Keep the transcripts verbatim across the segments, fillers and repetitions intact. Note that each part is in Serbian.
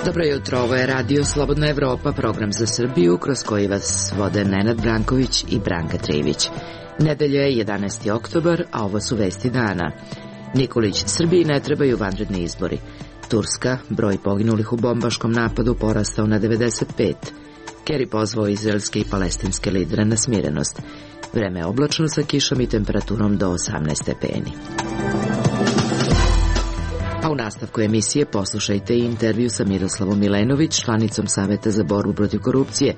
Dobro jutro, ovo je Radio Slobodna Evropa, program za Srbiju, kroz koji vas vode Nenad Branković i Branka Trivić. Nedelja je jedanaesti oktobar, a ovo su vesti dana. Nikolić, Srbiji ne trebaju vanredni izbori. Turska, broj poginulih u bombaškom napadu porastao na devedeset pet. Kerry pozvao izraelske i palestinske lidere na smirenost. Vreme je oblačno sa kišom i temperaturom do osamnaest stepeni. A u nastavku emisije poslušajte i intervju sa Miroslavom Milenović, članicom Saveta za borbu protiv korupcije,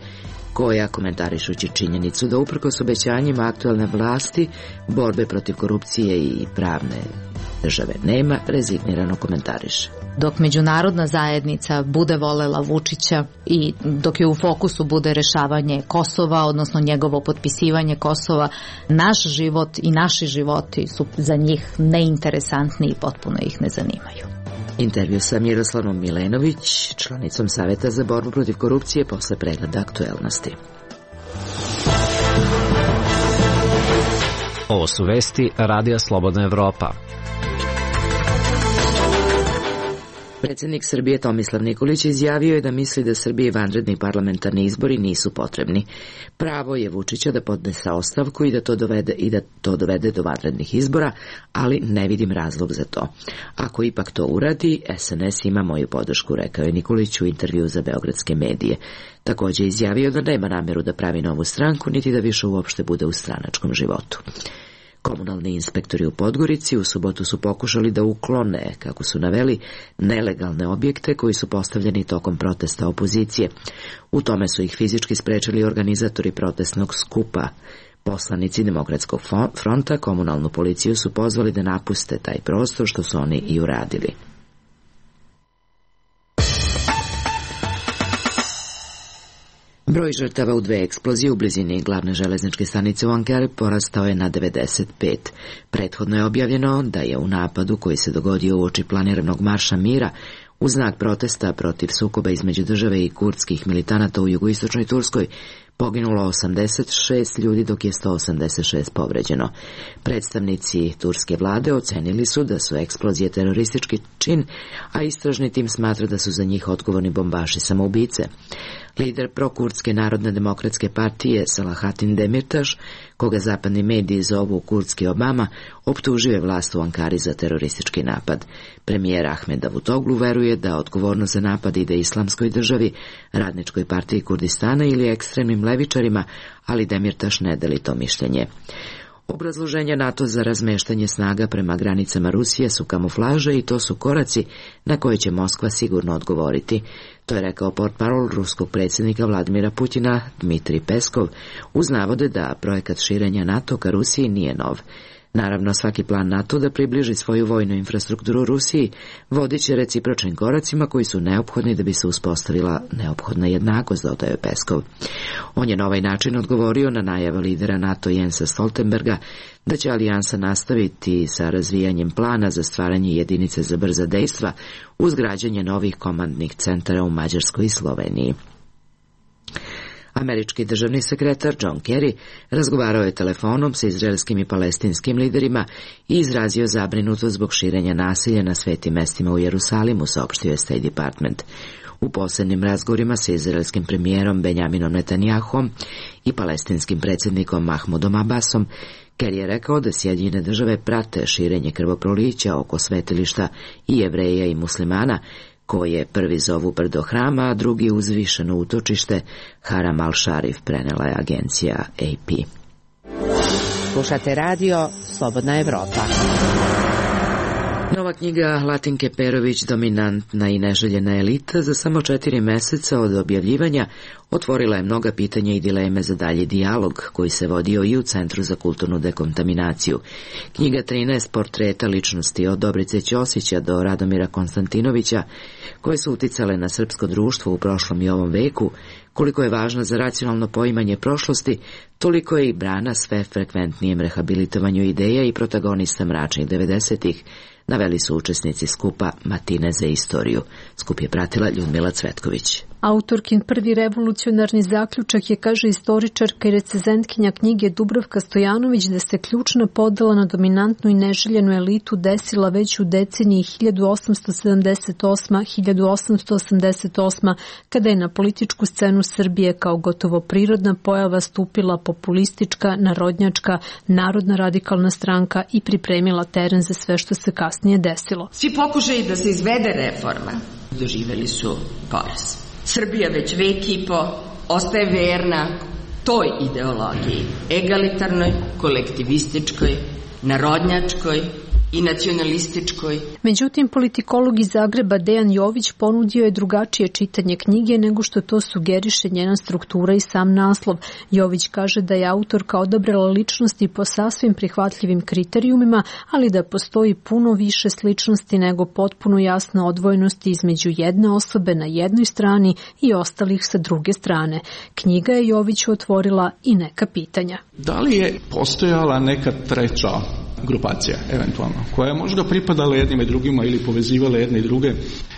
koja, komentarišući činjenicu da uprkos obećanjima aktuelne vlasti borbe protiv korupcije i pravne države nema, rezignirano komentariše. Dok međunarodna zajednica bude volela Vučića i dok je u fokusu bude rešavanje Kosova, odnosno njegovo potpisivanje Kosova, naš život i naši životi su za njih neinteresantni i potpuno ih ne zanimaju. Intervju sa Miroslavom Milenović, članicom Saveta za borbu protiv korupcije, posle pregleda aktuelnosti. Ovo su vesti Radija Slobodna Evropa. Predsjednik Srbije Tomislav Nikolić izjavio je da misli da Srbiji vanredni parlamentarni izbori nisu potrebni. Pravo je Vučića da podnese ostavku i da to dovede, i da to dovede do vanrednih izbora, ali ne vidim razlog za to. Ako ipak to uradi, es en es ima moju podršku, rekao je Nikolić u intervju za beogradske medije. Također je izjavio da nema namjeru da pravi novu stranku, niti da više uopšte bude u stranačkom životu. Komunalni inspektori u Podgorici u subotu su pokušali da uklone, kako su naveli, nelegalne objekte koji su postavljeni tokom protesta opozicije. U tome su ih fizički sprečili organizatori protestnog skupa. Poslanici Demokratskog fronta komunalnu policiju su pozvali da napuste taj prostor, što su oni i uradili. Broj žrtava u dve eksplozije u blizini glavne železničke stanice u Ankari porastao je na devedeset pet. Prethodno je objavljeno da je u napadu koji se dogodio uoči planiranog marša mira u znak protesta protiv sukoba između države i kurdskih militanata u jugoistočnoj Turskoj poginulo osamdeset šest ljudi, dok je sto osamdeset šest povređeno. Predstavnici turske vlade ocenili su da su eksplozije teroristički čin, a istražni tim smatra da su za njih odgovorni bombaši samoubice. Lider prokurdske Narodne demokratske partije Selahattin Demirtaš, koga zapadni mediji zovu kurdski Obama, optužio je vlast u Ankari za teroristički napad. Premijer Ahmed Davutoglu veruje da odgovornost za napad ide Islamskoj državi, Radničkoj partiji Kurdistana ili ekstremnim levičarima, ali Demirtaš ne deli to mišljenje. Obrazloženja NATO za razmeštanje snaga prema granicama Rusije su kamuflaže i to su koraci na koje će Moskva sigurno odgovoriti. To je rekao portparol ruskog predsjednika Vladimira Putina Dmitrij Peskov uz navode da projekat širenja NATO ka Rusiji nije nov. Naravno, svaki plan NATO da približi svoju vojnu infrastrukturu Rusiji vodit će recipročnim koracima koji su neophodni da bi se uspostavila neophodna jednakost, dodaje Peskov. On je na ovaj način odgovorio na najave lidera NATO Jensa Stoltenberga da će alijansa nastaviti sa razvijanjem plana za stvaranje jedinice za brza dejstva uz građenje novih komandnih centara u Mađarskoj i Sloveniji. Američki državni sekretar John Kerry razgovarao je telefonom sa izraelskim i palestinskim liderima i izrazio zabrinutost zbog širenja nasilja na svetim mestima u Jerusalimu, saopštio je State Department. U posebnim razgovorima sa izraelskim premijerom Benjaminom Netanyahom i palestinskim predsjednikom Mahmudom Abbasom, Kerry je rekao da Sjedinjene države prate širenje krvoprolića oko svetilišta i Jevreja i muslimana, koje prvi zovu brdo hrama, a drugi uzvišeno utočište Haram al-Sharif, prenela je agencija A P. Slušate radio Slobodna Evropa. Nova knjiga Latinke Perović, Dominantna i neželjena elita, za samo četiri meseca od objavljivanja otvorila je mnoga pitanja i dileme za dalji dijalog koji se vodio i u Centru za kulturnu dekontaminaciju. Knjiga trinaest portreta ličnosti od Dobrice Ćosića do Radomira Konstantinovića, koje su uticale na srpsko društvo u prošlom i ovom veku, koliko je važna za racionalno poimanje prošlosti, toliko je i brana sve frekventnijem rehabilitovanju ideja i protagonista mračnih devedesetih, naveli su učesnici skupa Matine za istoriju. Skup je pratila Ljudmila Cvetković. Autorkin prvi revolucionarni zaključak je, kaže istoričarka i recenzentkinja knjige Dubravka Stojanović, da se ključna podela na dominantnu i neželjenu elitu desila već u deceniji hiljadu osamsto sedamdeset osma do hiljadu osamsto osamdeset osma, kada je na političku scenu Srbije kao gotovo prirodna pojava stupila populistička, narodnjačka, narodna radikalna stranka i pripremila teren za sve što se kasnije desilo. Svi pokušaji da se izvede reforma doživeli su poraz. Srbija već vek i po ostaje verna toj ideologiji, egalitarnoj, kolektivističkoj, narodnjačkoj i nacionalističkoj. Međutim, politikolog iz Zagreba Dejan Jović ponudio je drugačije čitanje knjige nego što to sugeriše njena struktura i sam naslov. Jović kaže da je autorka odabrala ličnosti po sasvim prihvatljivim kriterijumima, ali da postoji puno više sličnosti nego potpuno jasna odvojenosti između jedne osobe na jednoj strani i ostalih sa druge strane. Knjiga je Joviću otvorila i neka pitanja. Da li je postojala neka treća grupacija, eventualno, koja je možda pripadala jednim i drugima ili povezivala jedne i druge?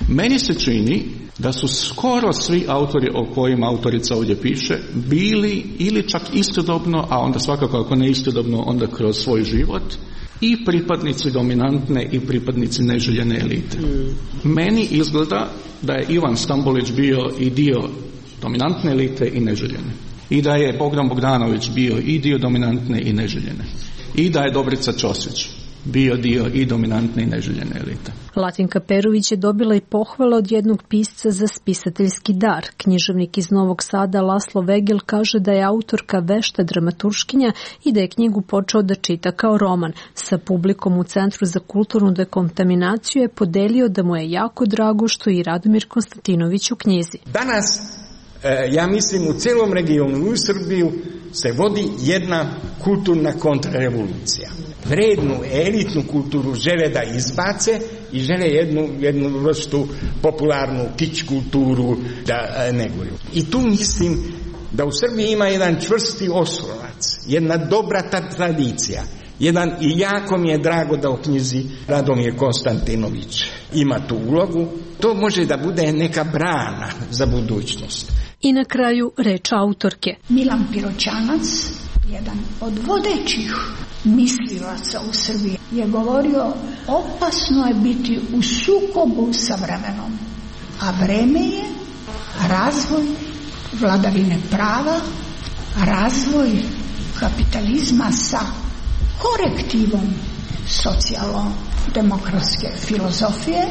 Meni se čini da su skoro svi autori o kojima autorica ovdje piše bili ili čak istodobno, a onda svakako ako ne istodobno, onda kroz svoj život, i pripadnici dominantne i pripadnici neželjene elite. Mm. Meni izgleda da je Ivan Stambolić bio i dio dominantne elite i neželjene. I da je Bogdan Bogdanović bio i dio dominantne i neželjene. I da je Dobrica Ćosić bio dio i dominantne i neželjene elite. Latinka Perović je dobila i pohvale od jednog pisca za spisateljski dar. Književnik iz Novog Sada Laslo Vegel kaže da je autorka vešta dramaturškinja i da je knjigu počeo da čita kao roman. Sa publikom u Centru za kulturnu dekontaminaciju je podelio da mu je jako drago što i Radomir Konstantinović u knjizi. Danas, ja mislim, u celom regionu u Srbiju se vodi jedna kulturna kontrarevolucija. Vrednu, elitnu kulturu žele da izbace i žele jednu, jednu vrstu popularnu kič kulturu da neguju. I tu mislim da u Srbiji ima jedan čvrsti oslonac, jedna dobra ta tradicija. Jedan, i jako mi je drago da u knjizi Radomir Konstantinović ima tu ulogu. To može da bude neka brana za budućnost. I na kraju reč autorke. Milan Piroćanac, jedan od vodećih mislilaca u Srbiji, je govorio: opasno je biti u sukobu sa vremenom, a vreme je razvoj vladavine prava, razvoj kapitalizma sa korektivom socijalno-demokratske filozofije,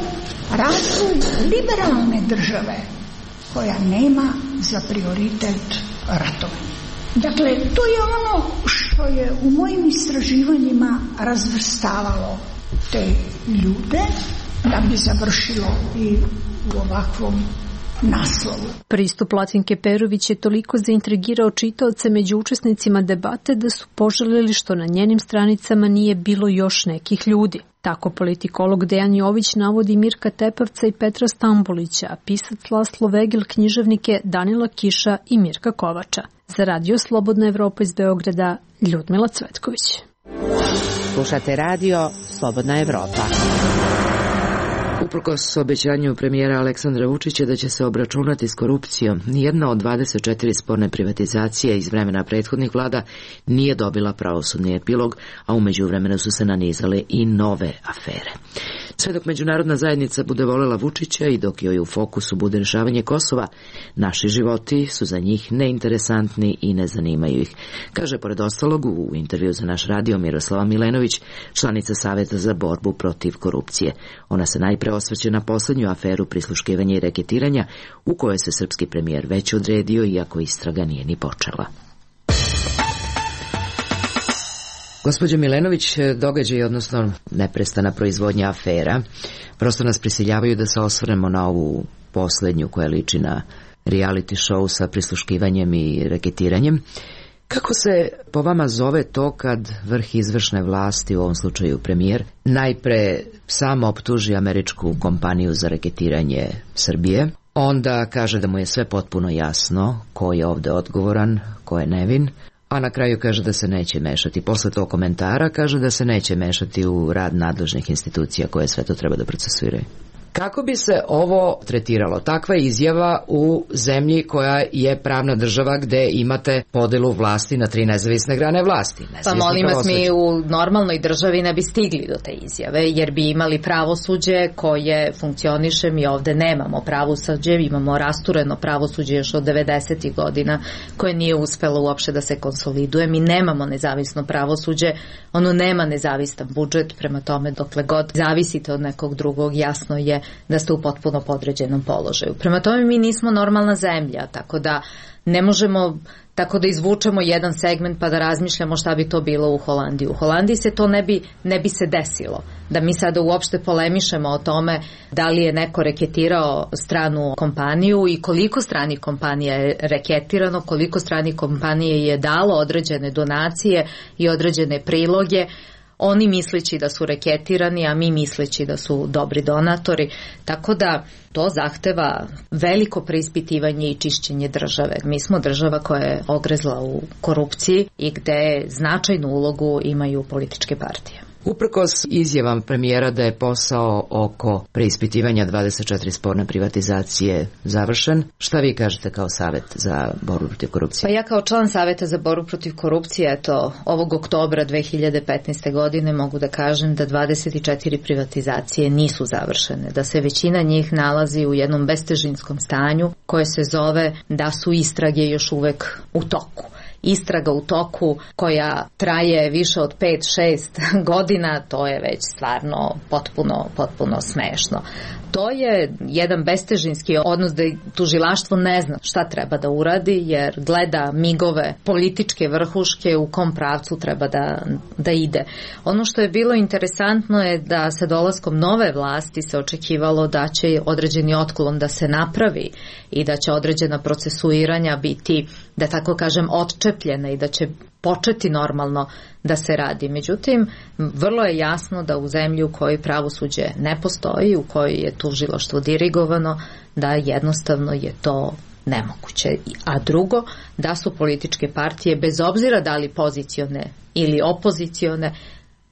razvoj liberalne države koja nema za prioritet ratovanje. Dakle, to je ono što je u mojim istraživanjima razvrstavalo te ljude da bi završilo i u ovakvom naslovu. Pristup Latinke Perović je toliko zaintrigirao čitaoce među učesnicima debate da su poželeli što na njenim stranicama nije bilo još nekih ljudi. Tako politikolog Dejan Jović navodi Mirka Tepavca i Petra Stambolića, a pisac Laslo Vegel književnike Danila Kiša i Mirka Kovača. Za Radio Slobodna Evropa iz Beograda, Ljudmila Cvetković. Slušate Radio Slobodna Evropa. Uprkos obećanju premijera Aleksandra Vučića da će se obračunati s korupcijom, nijedna od dvadeset četiri sporne privatizacije iz vremena prethodnih vlada nije dobila pravosudni epilog, a u međuvremenu su se nanizale i nove afere. Sve dok međunarodna zajednica bude volela Vučića i dok joj u fokusu bude rješavanje Kosova, naši životi su za njih neinteresantni i ne zanimaju ih, kaže pored ostalog u intervju za naš radio Miroslava Milenović, članica Saveta za borbu protiv korupcije. Ona se najpre osvrće na posljednju aferu prisluškivanja i reketiranja u kojoj se srpski premijer već odredio, iako istraga nije ni počela. Gospođo Milenović, događaj, odnosno neprestana proizvodnja afera, prosto nas prisiljavaju da se osvrnemo na ovu posljednju koja liči na reality show sa prisluškivanjem i reketiranjem. Kako se po vama zove to kad vrh izvršne vlasti, u ovom slučaju premijer, najpre samo optuži američku kompaniju za reketiranje Srbije, onda kaže da mu je sve potpuno jasno ko je ovdje odgovoran, ko je nevin, a na kraju kaže da se neće mešati. Posle tog komentara kaže da se neće mešati u rad nadležnih institucija koje sve to treba da procesuiraju. Kako bi se ovo tretiralo? Takva izjava u zemlji koja je pravna država gde imate podelu vlasti na tri nezavisne grane vlasti. Pa molim vas, mi u normalnoj državi ne bi stigli do te izjave, jer bi imali pravosuđe koje funkcioniše. Mi ovde nemamo pravosuđe, imamo rastureno pravosuđe još od devedesetih godina koje nije uspelo uopšte da se konsoliduje. Mi nemamo nezavisno pravosuđe, ono nema nezavistan budžet, prema tome dokle god zavisite od nekog drugog, jasno je da ste u potpuno podređenom položaju. Prema tome mi nismo normalna zemlja, tako da ne možemo tako da izvučemo jedan segment pa da razmišljamo šta bi to bilo u Holandiji. U Holandiji se to ne bi, ne bi se desilo. Da mi sada uopšte polemišemo o tome da li je neko reketirao stranu kompaniju i koliko stranih kompanija je reketirano, koliko stranih kompanije je dalo određene donacije i određene priloge, oni misleći da su reketirani, a mi misleći da su dobri donatori, tako da to zahteva veliko preispitivanje i čišćenje države. Mi smo država koja je ogrezla u korupciji i gde značajnu ulogu imaju političke partije. Uprkos izjavam premijera da je posao oko preispitivanja dvadeset četiri sporne privatizacije završen, šta vi kažete kao Savet za borbu protiv korupcije? Pa ja kao član Saveta za borbu protiv korupcije, eto, ovog oktobra dve hiljade petnaeste. godine mogu da kažem da dvadeset četiri privatizacije nisu završene, da se većina njih nalazi u jednom bestežinskom stanju koje se zove da su istrage još uvek u toku. Istraga u toku koja traje više od pet šest godina, to je već stvarno potpuno, potpuno smešno. To je jedan bestežinski odnos da tužilaštvo ne zna šta treba da uradi, jer gleda migove političke vrhuške u kom pravcu treba da, da ide. Ono što je bilo interesantno je da sa dolaskom nove vlasti se očekivalo da će određeni otklon da se napravi i da će određena procesuiranja biti, da tako kažem, odčepljena i da će početi normalno da se radi. Međutim, vrlo je jasno da u zemlji u kojoj pravosuđe ne postoji, u kojoj je tužilaštvo dirigovano, da jednostavno je to nemoguće. A drugo, da su političke partije, bez obzira da li pozicione ili opozicione,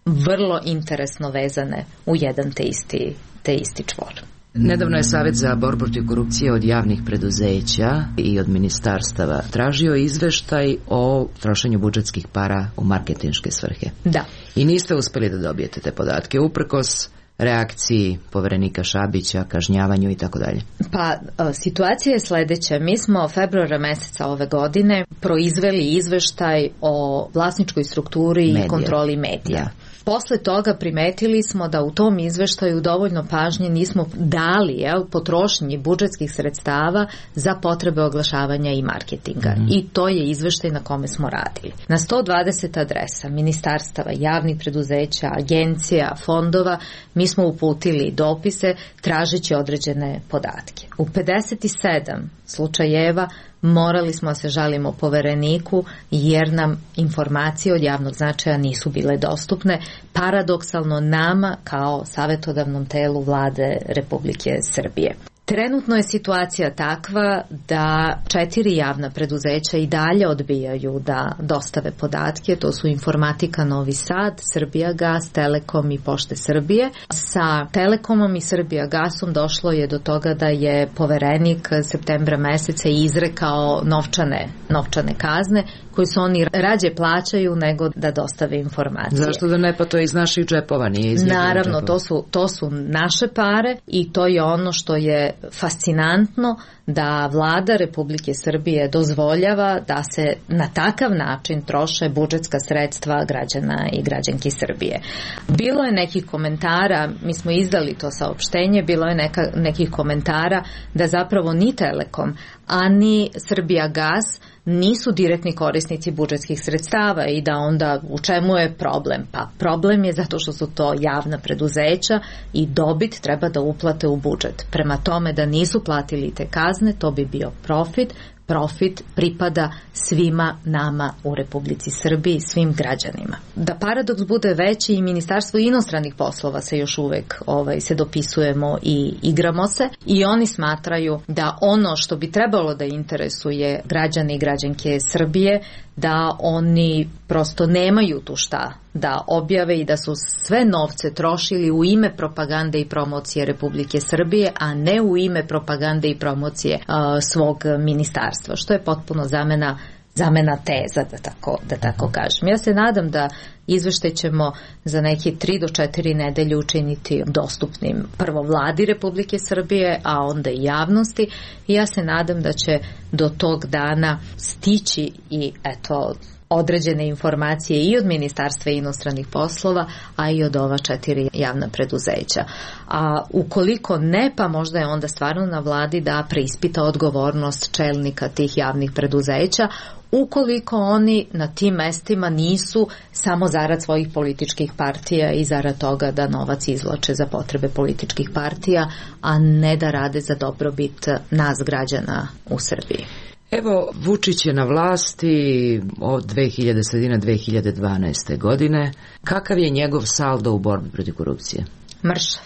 vrlo interesno vezane u jedan te isti, te isti čvor. Nedavno je Savet za borbu protiv korupcije od javnih preduzeća i od ministarstava tražio izveštaj o trošenju budžetskih para u marketinške svrhe. Da. I niste uspeli da dobijete te podatke, uprkos reakciji poverenika Šabića, kažnjavanju i tako dalje. Pa, situacija je sledeća. Mi smo februara meseca ove godine proizveli izveštaj o vlasničkoj strukturi medija. I kontroli medija. Da. Posle toga primetili smo da u tom izveštaju dovoljno pažnje nismo dali jel, potrošnji budžetskih sredstava za potrebe oglašavanja i marketinga. Mm-hmm. I to je izveštaj na kome smo radili. Na sto dvadeset adresa ministarstava, javnih preduzeća, agencija, fondova, mi smo uputili dopise tražeći određene podatke. U pedeset sedam slučajeva morali smo da se žalimo povereniku jer nam informacije od javnog značaja nisu bile dostupne, paradoksalno nama kao savetodavnom telu Vlade Republike Srbije. Trenutno je situacija takva da četiri javna preduzeća i dalje odbijaju da dostave podatke, to su Informatika Novi Sad, Srbijagas, Telekom i Pošte Srbije. Sa Telekomom i Srbijagasom došlo je do toga da je poverenik septembra meseca izrekao novčane, novčane kazne koji su oni rađe plaćaju nego da dostave informacije. Zašto da ne, pa to je iz naših džepova, nije iz njihovih Naravno, džepova. to su, to su naše pare i to je ono što je fascinantno da Vlada Republike Srbije dozvoljava da se na takav način troše budžetska sredstva građana i građanki Srbije. Bilo je nekih komentara, mi smo izdali to saopštenje, bilo je neka, nekih komentara da zapravo ni Telekom, a ni Srbijagas nisu direktni korisnici budžetskih sredstava i da onda u čemu je problem? Pa problem je zato što su to javna preduzeća i dobit treba da uplate u budžet. Prema tome da nisu platili te kazne, to bi bio profit. Profit pripada svima nama u Republici Srbiji, svim građanima. Da paradoks bude veći, i Ministarstvo inostranih poslova se još uvek ovaj, se dopisujemo i igramo se i oni smatraju da ono što bi trebalo da interesuje građane i građanke Srbije, da oni prosto nemaju tu šta da objave i da su sve novce trošili u ime propagande i promocije Republike Srbije, a ne u ime propagande i promocije uh, svog ministarstva, što je potpuno zamena zamena teza, da tako, da tako kažem. Ja se nadam da izveštaj ćemo za neki tri do četiri nedelje učiniti dostupnim prvo vladi Republike Srbije, a onda i javnosti. I ja se nadam da će do tog dana stići i eto određene informacije i od Ministarstva inostranih poslova, a i od ova četiri javna preduzeća. A ukoliko ne, pa možda je onda stvarno na vladi da preispita odgovornost čelnika tih javnih preduzeća, ukoliko oni na tim mestima nisu samo zarad svojih političkih partija i zarad toga da novac izvlače za potrebe političkih partija, a ne da rade za dobrobit nas građana u Srbiji. Evo, Vučić je na vlasti od dve hiljade sredine dve hiljade dvanaeste. godine. Kakav je njegov saldo u borbi protiv korupcije? Mršav.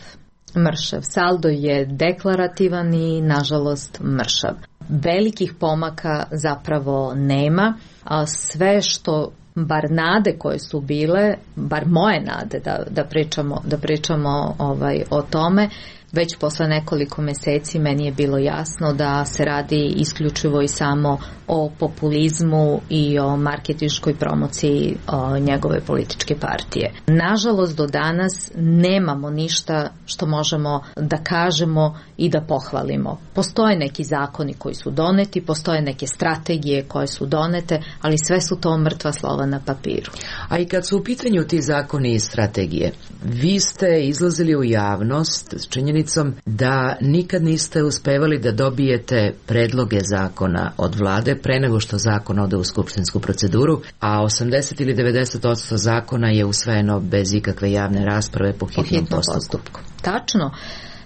Mršav. Saldo je deklarativan i, nažalost, mršav. Velikih pomaka zapravo nema, a sve što bar nade koje su bile, bar moje nade da, da pričamo, da pričamo ovaj, o tome, već posle nekoliko meseci meni je bilo jasno da se radi isključivo i samo o populizmu i o marketinškoj promociji o njegove političke partije. Nažalost, do danas nemamo ništa što možemo da kažemo i da pohvalimo. Postoje neki zakoni koji su doneti, postoje neke strategije koje su donete, ali sve su to mrtva slova na papiru. A i kad su u pitanju ti zakoni i strategije, vi ste izlazili u javnost s činjenicom da nikad niste uspevali da dobijete predloge zakona od vlade pre nego što zakon ode u skupštinsku proceduru, a osamdeset ili devedeset posto zakona je usvojeno bez ikakve javne rasprave po hitnom, po hitnom postupku. postupku. Tačno.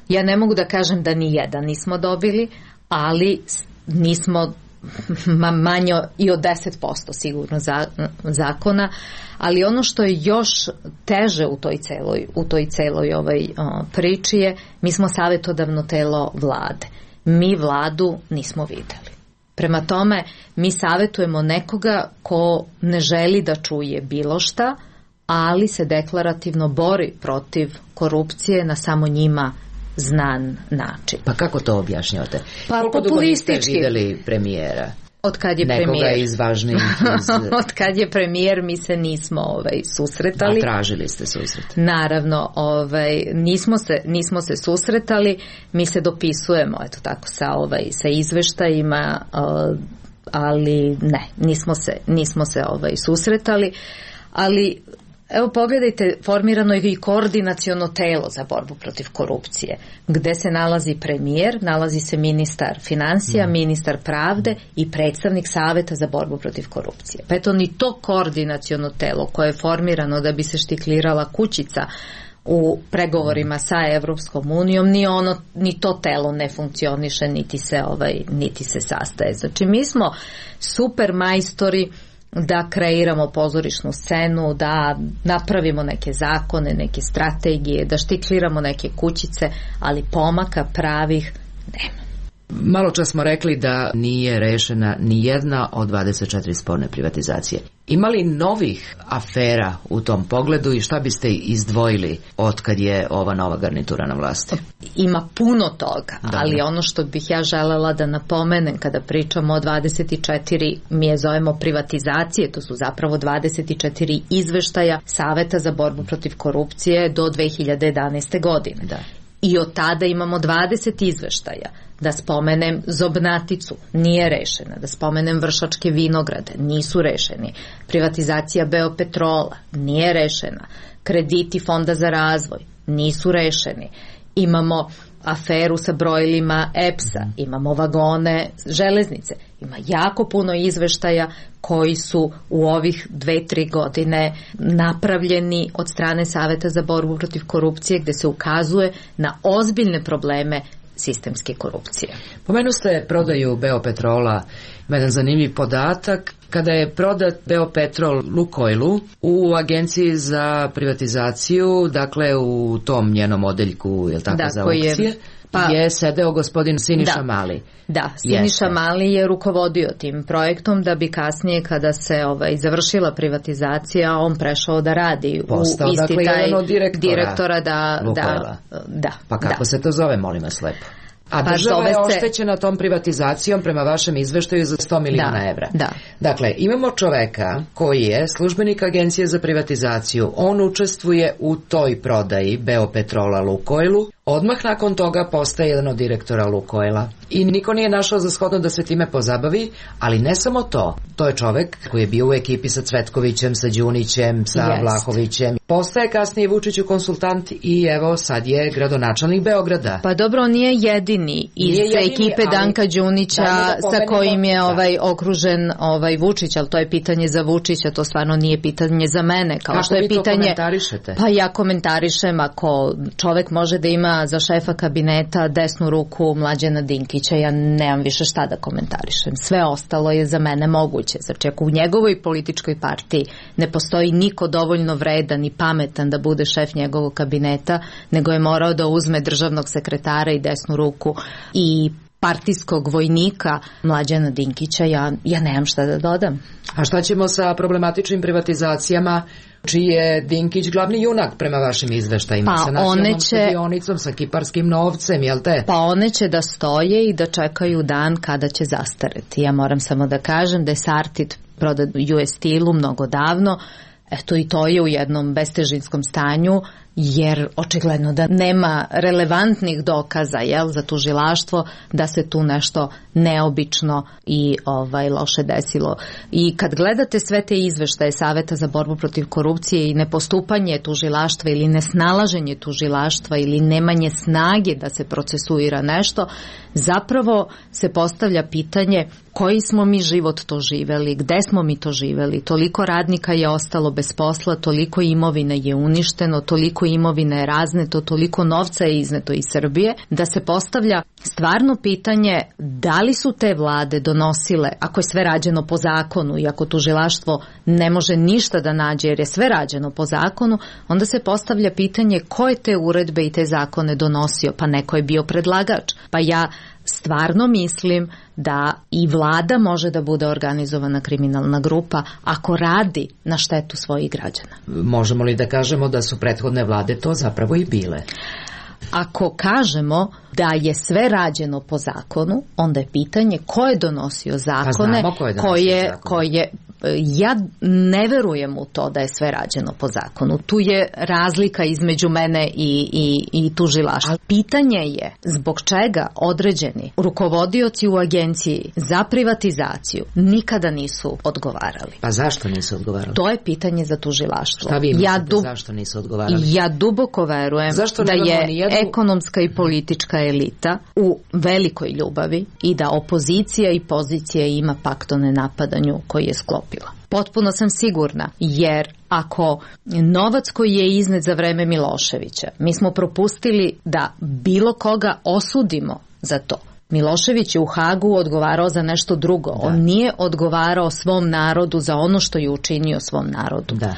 Ja ne mogu da kažem da ni jedan nismo dobili, ali nismo ma manje i od deset posto sigurno za, zakona, ali ono što je još teže u toj celoj, u toj celoj ovaj, o, priči je, mi smo savetodavno telo vlade. Mi vladu nismo videli. Prema tome, mi savetujemo nekoga ko ne želi da čuje bilo šta, ali se deklarativno bori protiv korupcije na samo njima znan način. Pa kako to objašnjavate? Pa koliko populistički. Dugo niste videli premijera? Od kad je nekoga premijer? iz važnijih iz... Od kad je premijer mi se nismo ovaj, susretali. A tražili ste susret? Naravno, ovaj, nismo, se, nismo se susretali, mi se dopisujemo eto tako sa, ovaj, sa izveštajima, uh, ali ne, nismo se, nismo se ovaj, susretali, ali evo pogledajte, formirano je i koordinaciono telo za borbu protiv korupcije, gde se nalazi premijer, nalazi se ministar finansija, mm. ministar pravde i predstavnik saveta za borbu protiv korupcije. Pa eto, ni to koordinaciono telo koje je formirano da bi se štiklirala kućica u pregovorima sa Evropskom unijom, ni ono, ni to telo ne funkcioniše, niti se ovaj, niti se sastaje. Znači, mi smo super majstori da kreiramo pozorišnu scenu, da napravimo neke zakone, neke strategije, da štikliramo neke kućice, ali pomaka pravih nema. Malo čas smo rekli da nije rešena ni jedna od dvadeset četiri sporne privatizacije. Ima li novih afera u tom pogledu i šta biste izdvojili od kad je ova nova garnitura na vlasti? Ima puno toga, da. Ali ono što bih ja želela da napomenem kada pričamo o dvadeset četiri, mi je zovemo privatizacije, to su zapravo dvadeset četiri izveštaja Saveta za borbu protiv korupcije do dve hiljade jedanaeste. godine. Da. I od tada imamo dvadeset izveštaja. Da spomenem Zobnaticu, nije rešena. Da spomenem Vršačke vinograde, nisu rešeni. Privatizacija Beopetrola, nije rešena. Krediti Fonda za razvoj, nisu rešeni. Imamo aferu sa brojilima E P S-a, imamo vagone železnice. Ima jako puno izveštaja koji su u ovih dve, tri godine napravljeni od strane Saveta za borbu protiv korupcije, gde se ukazuje na ozbiljne probleme sistemske korupcije. Pomenu ste prodaju Beopetrola, jedan zanimljiv podatak. Kada je prodat Beopetrol Lukoilu u agenciji za privatizaciju, dakle u tom njenom odeljku, je li tako, da, za koji aukcije? Je pa, je sedeo gospodin Siniša da, Mali. Da, Siniša Jeste. Mali je rukovodio tim projektom da bi kasnije kada se ovaj, završila privatizacija on prešao da radi Postao, u isti dakle, taj direktora, direktora da, da, da. Pa kako da. se to zove, molim vas lepo? A pa država je se... oštećena tom privatizacijom prema vašem izveštaju za sto miliona da, evra. Da. Dakle, imamo čoveka koji je službenik Agencije za privatizaciju, on učestvuje u toj prodaji Beopetrola Lukojlu, odmah nakon toga postaje jedan od direktora Lukojla i niko nije našao za shodno da se time pozabavi, ali ne samo to, to je čovek koji je bio u ekipi sa Cvetkovićem, sa Đunićem, sa yes. Vlahovićem. Postaje kasnije Vučiću konsultant i evo sad je gradonačelnik Beograda. Pa dobro, on nije jedini iz nije jedini, ekipe Danka Đunića da sa kojim je ovaj okružen ovaj Vučić, ali to je pitanje za Vučića, to stvarno nije pitanje za mene. Kao Kako što je vi pitanje, to komentarišete? Pa ja komentarišem ako čovek može da ima za šefa kabineta desnu ruku Mlađana Dinkića, ja nemam više šta da komentarišem. Sve ostalo je za mene moguće. Znači, ako u njegovoj političkoj partiji ne postoji niko dovoljno vredan i pametan da bude šef njegovog kabineta, nego je morao da uzme državnog sekretara i desnu ruku i partijskog vojnika Mlađana Dinkića, ja, ja nemam šta da dodam. A šta ćemo sa problematičnim privatizacijama čiji je Dinkić glavni junak prema vašim izveštajima, pa sa nacionalnom će, stadionicom, sa kiparskim novcem, jel te? Pa one će da stoje i da čekaju dan kada će zastareti. Ja moram samo da kažem da je Sartid prodat U S Steel-u mnogo davno, eto i to je u jednom bestežinskom stanju, jer očigledno da nema relevantnih dokaza, jel, za tužilaštvo da se tu nešto neobično i ovaj loše desilo. I kad gledate sve te izveštaje Saveta za borbu protiv korupcije i nepostupanje tužilaštva ili nesnalaženje tužilaštva ili nemanje snage da se procesuira nešto, zapravo se postavlja pitanje koji smo mi život to živeli, gde smo mi to živeli, toliko radnika je ostalo bez posla, toliko imovine je uništeno, toliko imovine je razneto, toliko novca je izneto iz Srbije, da se postavlja stvarno pitanje da li su te vlade donosile, ako je sve rađeno po zakonu i ako tužilaštvo ne može ništa da nađe jer je sve rađeno po zakonu, onda se postavlja pitanje ko je te uredbe i te zakone donosio, pa neko je bio predlagač. Pa ja stvarno mislim da i vlada može da bude organizovana kriminalna grupa ako radi na štetu svojih građana. Možemo li da kažemo da su prethodne vlade to zapravo i bile? Ako kažemo da je sve rađeno po zakonu, onda je pitanje ko je donosio zakone, pa ko je donosio koje, zakone. koje ja ne verujem u to da je sve rađeno po zakonu. Tu je razlika između mene i, i, i tužilaštva. Pitanje je zbog čega određeni rukovodioci u agenciji za privatizaciju nikada nisu odgovarali. Pa zašto nisu odgovarali? To je pitanje za tužilaštvo. Šta vi mislite, ja dub... zašto nisu odgovarali? Ja duboko verujem da je nijednu... ekonomska i politička elita u velikoj ljubavi i da opozicija i pozicija ima pakt o nenapadanju koji je sklopila. Potpuno sam sigurna, jer ako novac koji je iznet za vreme Miloševića, mi smo propustili da bilo koga osudimo za to. Milošević je u Hagu odgovarao za nešto drugo. Da. On nije odgovarao svom narodu za ono što je učinio svom narodu. Da.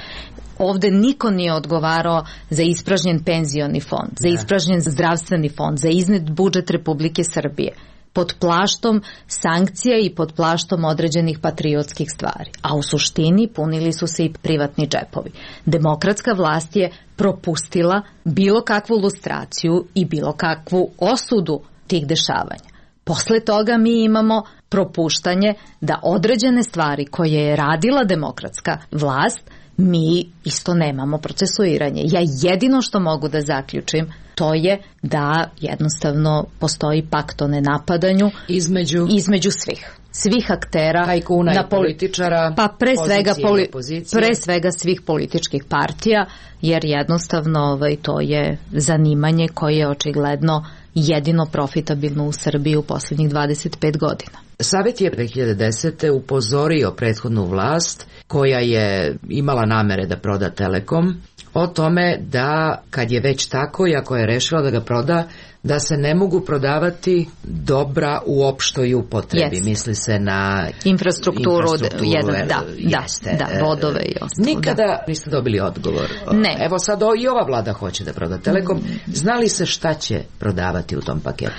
Ovde niko nije odgovarao za ispražnjen penzioni fond, za ispražnjen zdravstveni fond, za iznet budžet Republike Srbije, pod plaštom sankcija i pod plaštom određenih patriotskih stvari. A u suštini punili su se i privatni džepovi. Demokratska vlast je propustila bilo kakvu lustraciju i bilo kakvu osudu tih dešavanja. Posle toga mi imamo propuštanje da određene stvari koje je radila demokratska vlast mi isto nemamo procesuiranje. Ja jedino što mogu da zaključim to je da jednostavno postoji pakt o nenapadanju između, između svih. Svih aktera, tajkuna na i političara, pa pre svega, poli, opozicije. pre svega svih političkih partija, jer jednostavno ovaj, to je zanimanje koje je očigledno jedino profitabilno u Srbiji u posljednjih dvadeset pet godina. Savet je dve hiljade desete upozorio prethodnu vlast koja je imala namere da proda Telekom o tome da kad je već tako i ako je rešila da ga proda, da se ne mogu prodavati dobra u opštoj upotrebi. Jest. Misli se na infrastrukturu, infrastrukturu jedan, da, jeste. da, da, vodove i ostalo. Nikada da. niste dobili odgovor. Ne. Evo sad i ova vlada hoće da proda Telekom. Zna li se šta će prodavati u tom paketu?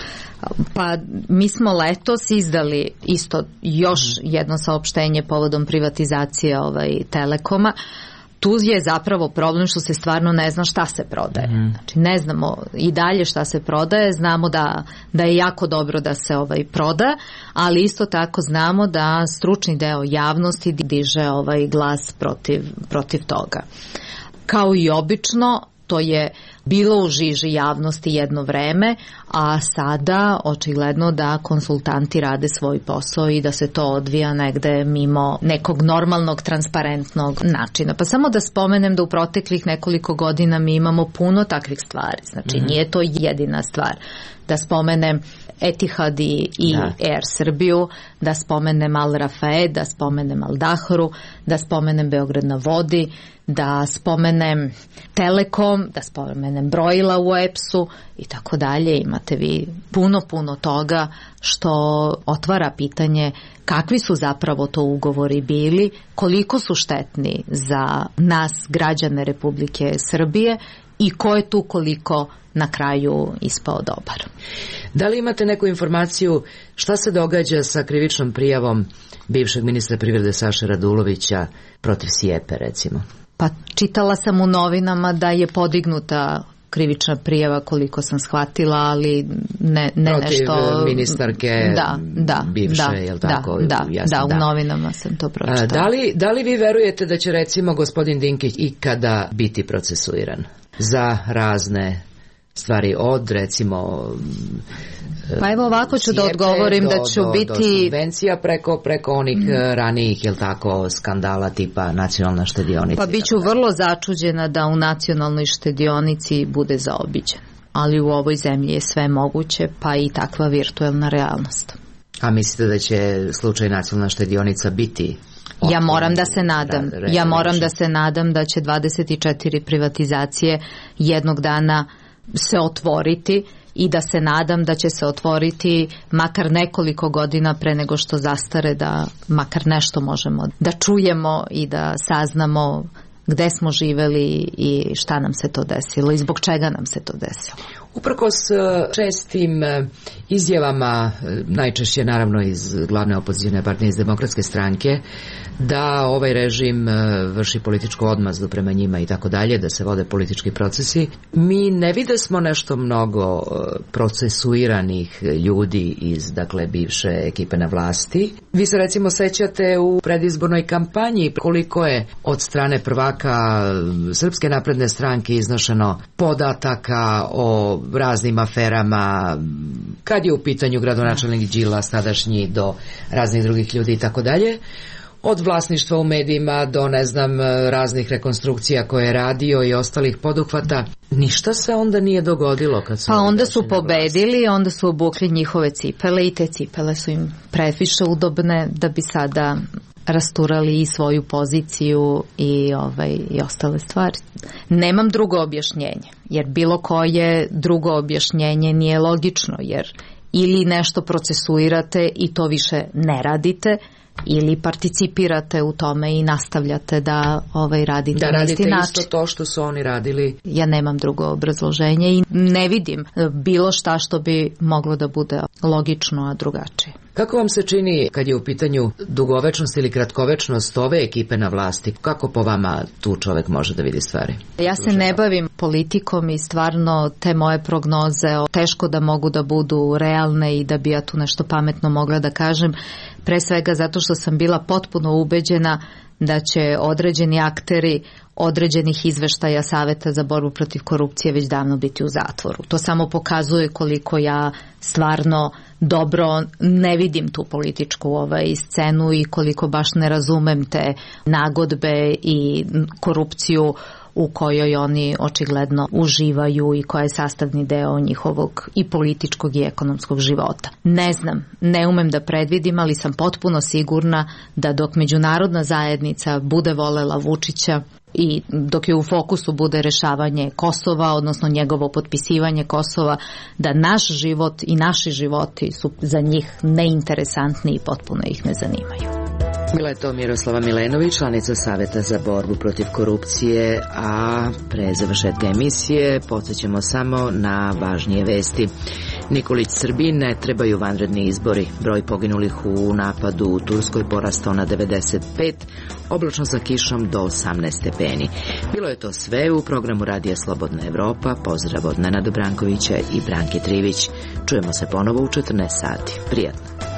Pa mi smo letos izdali isto još jedno saopštenje povodom privatizacije ovaj, Telekoma. Tu je zapravo problem što se stvarno ne zna šta se prodaje. Mm. Znači ne znamo i dalje šta se prodaje, znamo da, da je jako dobro da se ovaj proda, ali isto tako znamo da stručni deo javnosti diže ovaj glas protiv, protiv toga. Kao i obično, to je bilo u žiži javnosti jedno vreme, a sada očigledno da konsultanti rade svoj posao i da se to odvija negde mimo nekog normalnog, transparentnog načina. Pa samo da spomenem da u proteklih nekoliko godina mi imamo puno takvih stvari. Znači mm-hmm. nije to jedina stvar. Da spomenem Etihad i, i da. Air Srbiju, da spomenem Al Rafae, da spomenem Al Dahru, da spomenem Beograd na vodi, da spomenem Telekom, da spomenem brojila u E P S-u i tako dalje. Imate vi puno, puno toga što otvara pitanje kakvi su zapravo to ugovori bili, koliko su štetni za nas, građane Republike Srbije, i ko je tu koliko na kraju ispao dobar. Da li imate neku informaciju šta se događa sa krivičnom prijavom bivšeg ministra privrede Saše Radulovića protiv Sijepe, recimo? Pa čitala sam u novinama da je podignuta krivična prijava, koliko sam shvatila, ali ne, ne protiv nešto... Protiv ministarke da, da, bivše, da, je li tako? Da, da, jasno, da, u da. novinama sam to pročitala. Da li, da li vi verujete da će recimo gospodin Dinkić ikada biti procesuiran za razne stvari od recimo... Pa evo ovako ću da odgovorim do, da ću do, biti... Do subvencija preko, preko onih mm. ranijih, jel tako, skandala tipa nacionalna štedionica. Pa bit ću vrlo začuđena da u nacionalnoj štedionici bude zaobiđen. Ali u ovoj zemlji je sve moguće, pa i takva virtuelna realnost. A mislite da će slučaj nacionalna štedionica biti... Ja moram da se nadam. Ja moram da se nadam da će dvadeset četiri privatizacije jednog dana se otvoriti i da se nadam da će se otvoriti makar nekoliko godina pre nego što zastare, da makar nešto možemo da čujemo i da saznamo gde smo živeli i šta nam se to desilo i zbog čega nam se to desilo. Uprkos čestim izjavama, najčešće naravno iz glavne opozicijne partije, iz Demokratske stranke, da ovaj režim vrši političku odmazdu prema njima i tako dalje, da se vode politički procesi, mi ne vide smo nešto mnogo procesuiranih ljudi iz, dakle, bivše ekipe na vlasti. Vi se recimo sećate u predizbornoj kampanji koliko je od strane prvaka Srpske napredne stranke iznošeno podataka o raznim aferama, kad je u pitanju gradonačelnik Đilas tadašnji do raznih drugih ljudi i tako dalje, od vlasništva u medijima do, ne znam, raznih rekonstrukcija koje je radio i ostalih poduhvata. Ništa se onda nije dogodilo kad su... Pa onda su pobedili, onda su obukli njihove cipele i te cipele su im previše udobne da bi sada rasturali i svoju poziciju i, ovaj, i ostale stvari. Nemam drugo objašnjenje, jer bilo koje drugo objašnjenje nije logično, jer ili nešto procesuirate i to više ne radite, ili participirate u tome i nastavljate da ovaj radite da na isti način. Da radite isto to što su oni radili. Ja nemam drugo obrazloženje i ne vidim bilo šta što bi moglo da bude logično, a drugačije. Kako vam se čini kad je u pitanju dugovečnost ili kratkovečnost ove ekipe na vlasti? Kako po vama tu čovek može da vidi stvari? Ja se ne bavim politikom i stvarno te moje prognoze teško da mogu da budu realne i da bi ja tu nešto pametno mogla da kažem. Pre svega zato što sam bila potpuno ubeđena da će određeni akteri određenih izveštaja Saveta za borbu protiv korupcije već davno biti u zatvoru. To samo pokazuje koliko ja stvarno dobro ne vidim tu političku ovaj scenu i koliko baš ne razumem te nagodbe i korupciju u kojoj oni očigledno uživaju i koja je sastavni deo njihovog i političkog i ekonomskog života. Ne znam, ne umem da predvidim, ali sam potpuno sigurna da dok međunarodna zajednica bude volela Vučića, i dok je u fokusu bude rešavanje Kosova, odnosno njegovo potpisivanje Kosova, da naš život i naši životi su za njih neinteresantni i potpuno ih ne zanimaju. Bila je to Miroslava Milenović, članica Saveta za borbu protiv korupcije, a pre završetka emisije podsjećamo samo na važnije vesti. Nikolić Srbiji ne trebaju vanredni izbori. Broj poginulih u napadu u Turskoj porastao na devedeset pet, oblačno sa kišom do osamnaest stepeni. Bilo je to sve u programu Radija Slobodna Evropa. Pozdrav od Nenada Brankovića i Branke Trivić. Čujemo se ponovo u četrnaest sati. Prijatno.